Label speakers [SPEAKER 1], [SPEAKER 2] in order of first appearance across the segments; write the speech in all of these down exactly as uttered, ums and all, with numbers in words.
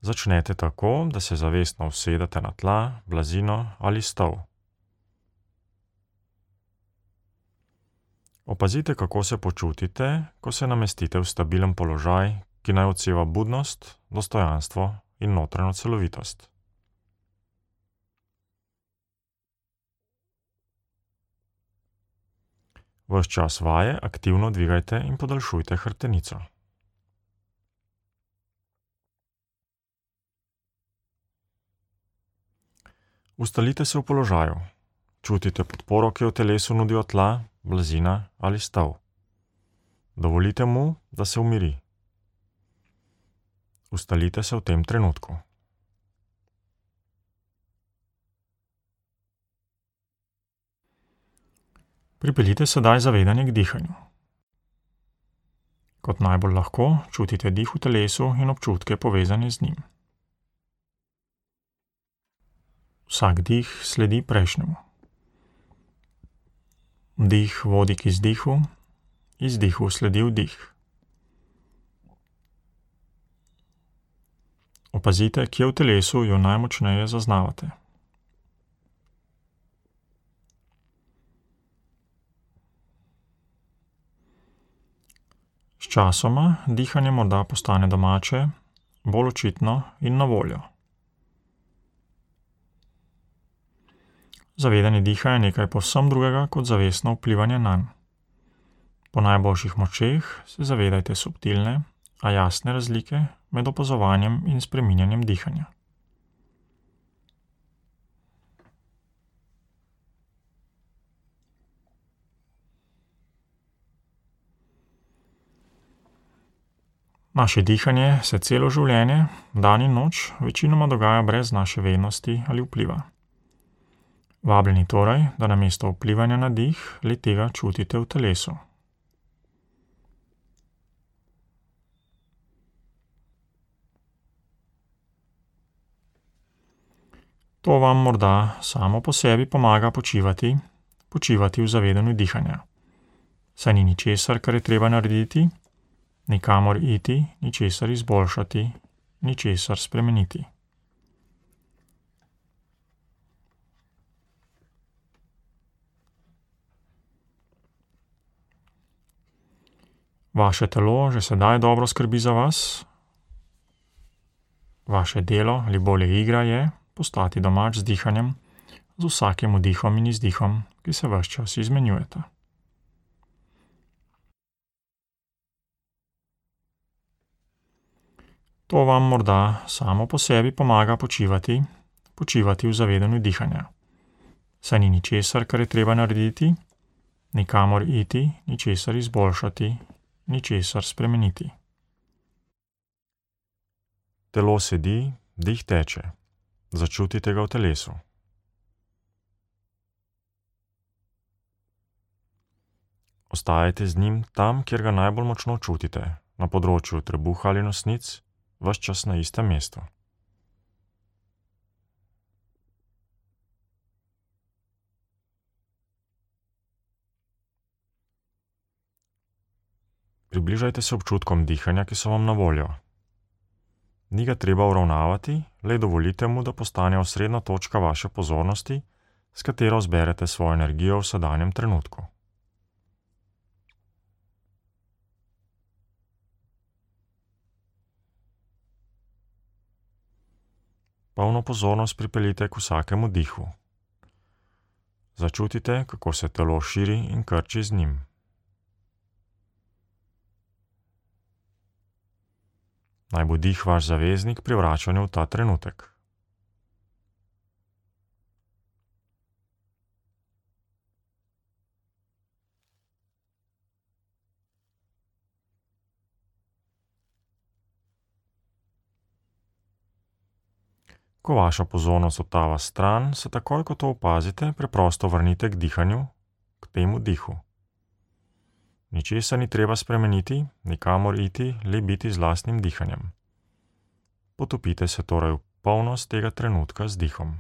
[SPEAKER 1] Začnete tako, da se zavestno usedete na tla, blazino ali stol. Opazite, kako se počutite, ko se namestite v stabilen položaj, ki naj odseva budnost, dostojanstvo in notranjo celovitost. Ves čas vaje aktivno dvigajte in podaljšujte hrbtenico. Ustalite se v položaju. Čutite podporo, ki jo telesu nudijo tla, blazina ali stol. Dovolite mu, da se umiri. Ustalite se v tem trenutku. Pripeljite sedaj zavedanje k dihanju. Kot najbolj lahko čutite dih v telesu in občutke povezane z njim. Vsak dih sledi prejšnjemu. Vdih vodi k izdihu, izdihu sledi vdih. Opazite, kje v telesu jo najmočneje zaznavate. Sčasoma dihanje morda postane domače, bolj očitno in na voljo. Zavedanje diha je nekaj povsem drugega kot zavestno vplivanje nanj. Po najboljših močeh se zavedajte subtilne, a jasne razlike med opazovanjem in spreminjanjem dihanja. Naše dihanje se celo življenje, dan in noč, večinoma dogaja brez naše vednosti ali vpliva. Vabljeni torej, da namesto vplivanja na dih, le-tega čutite v telesu. To vam morda samo po sebi pomaga počivati, počivati v zavedanju dihanja. Saj ni ničesar, kar je treba narediti, nikamor iti, ničesar izboljšati, ničesar spremeniti. Vaše telo že sedaj dobro skrbi za vas. Vaše delo ali bolje igra je postati domač z dihanjem, z vsakim vdihom in izdihom, ki se ves čas izmenjujeta. To vam morda samo po sebi pomaga počivati, počivati v zavedanju dihanja. Saj ni ničesar, kar je treba narediti, nikamor iti, ničesar izboljšati, ničesar spremeniti. Telo sedi, dih teče. Začutite ga v telesu. Ostajajte z njim tam, kjer ga najbolj močno čutite, na področju trebuha ali nosnic, ves čas na istem mestu. Približajte se občutkom dihanja, ki so vam na voljo. Ni ga treba uravnavati, le dovolite mu, da postane osrednja točka vaše pozornosti, s katero zberete svojo energijo v sedanjem trenutku. Polno pozornost pripeljite k vsakemu dihu. Začutite, kako se telo širi in krči z njim. Naj bo dih vaš zaveznik pri vračanju v ta trenutek. Ko vaša pozornost odtava stran, se takoj, ko to opazite, preprosto vrnite k dihanju, k temu dihu. Ničesar ni treba spremeniti, nikamor iti, le biti z lastnim dihanjem. Potopite se torej v polnost tega trenutka z dihom.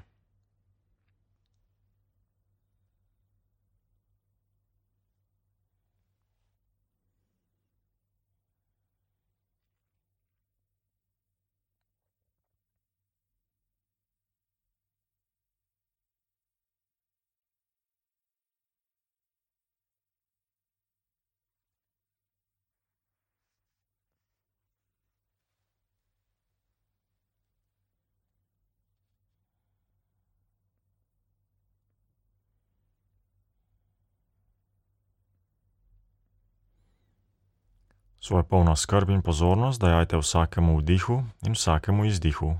[SPEAKER 1] Svojo polno skrb in pozornost dajajte vsakemu vdihu in vsakemu izdihu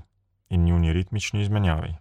[SPEAKER 1] in njuni ritmični izmenjavi.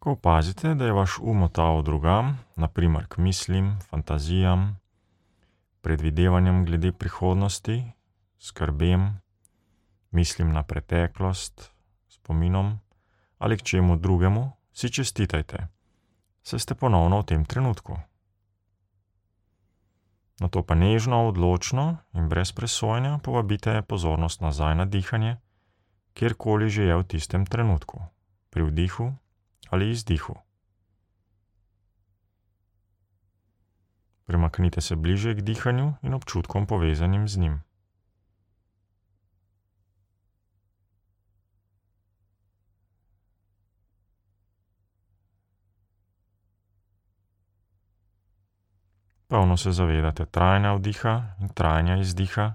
[SPEAKER 1] Ko opazite, da je vaš um otaval drugam, na primer k mislim, fantazijam, predvidevanjem glede prihodnosti, skrbem, mislim na preteklost, spominom ali k čemu drugemu, si čestitajte, saj ste ponovno v tem trenutku. Nato pa nežno, odločno in brez presojanja povabite pozornost nazaj na dihanje, kjerkoli že je v tistem trenutku, pri vdihu ali izdihu. Premaknite se bliže k dihanju in občutkom povezanim z njim. Polno se zavedate trajanja vdiha in trajanja izdiha,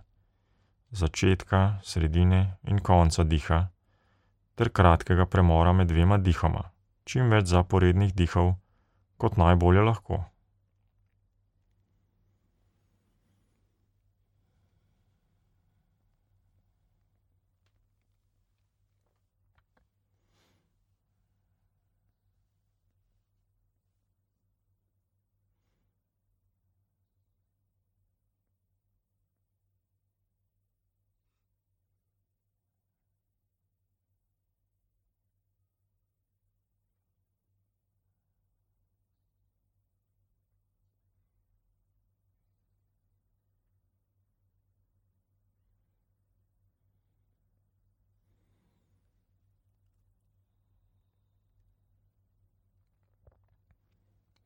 [SPEAKER 1] začetka, sredine in konca diha, ter kratkega premora med dvema dihoma, čim več zaporednih dihov, kot najbolje lahko.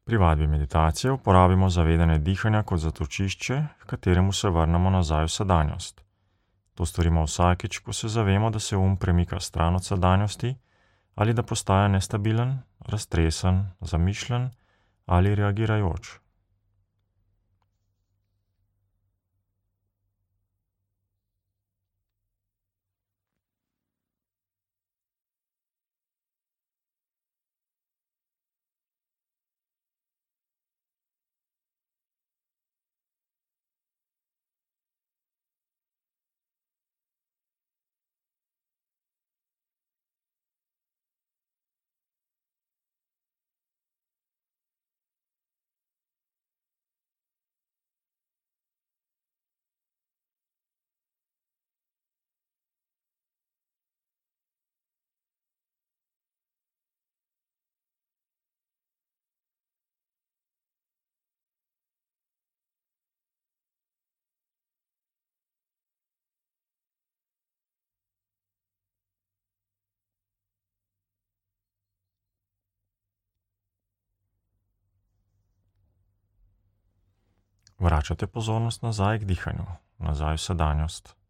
[SPEAKER 1] Pri vadbi meditacije uporabimo zavedanje dihanja kot zatočišče, h kateremu se vrnemo nazaj v sedanjost. To storimo vsakič, ko se zavemo, da se um premika stran od sedanjosti ali da postaja nestabilen, raztresen, zamišljen ali reagirajoč. Vračate pozornost nazaj k dihanju, nazaj v sedanjost.